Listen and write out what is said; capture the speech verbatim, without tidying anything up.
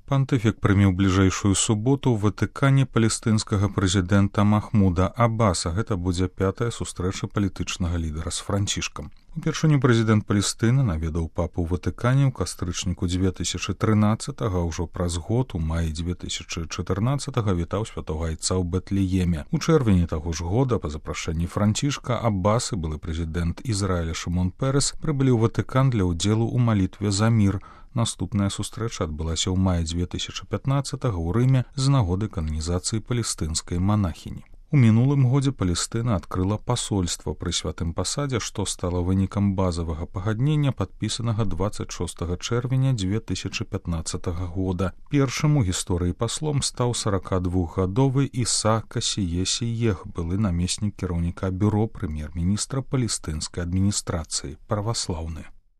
Пантыфік прыме ў бліжэйшую суботу ў Ватыкане палестынскага прэзідэнта Махмуда Аббаса. Гэта будзе пятая сустрэча палітычнага лідара з Францішкам. Упершыню прэзідэнт Палестыны наведаў папу ў Ватыкане ў кастрычніку дзве тысячы трынаццатага, ўжо праз год у маі дзве тысячы чатырнаццатага вітаў святога айца ў Бэтлееме. У чэрвені таго ж года па запрашэнні Францішка Аббас і былы прэзідэнт Ізраіля Шымон Пэрэс прыбылі ў Ватыкан для ўдзелу ў малітве за мір. Наступная сустрэча адбылася ў маі дзве тысячы пятнаццатага ў Рыме з нагоды кананізацыі палестынскай манахіні. У мінулым годзе Палестына адкрыла пасольства пры святым пасадзе, што стала вынікам базавага пагаднення, падпісанага дваццаць шостага чэрвеня дзве тысячы пятнаццатага года. Першым у гісторыі паслом стаў саракадвухгадовы Іса Касіе Сіех, былы намеснік кіраўніка бюро прэм'ер-міністра палестынскай адміністрацыі, праваслаўны.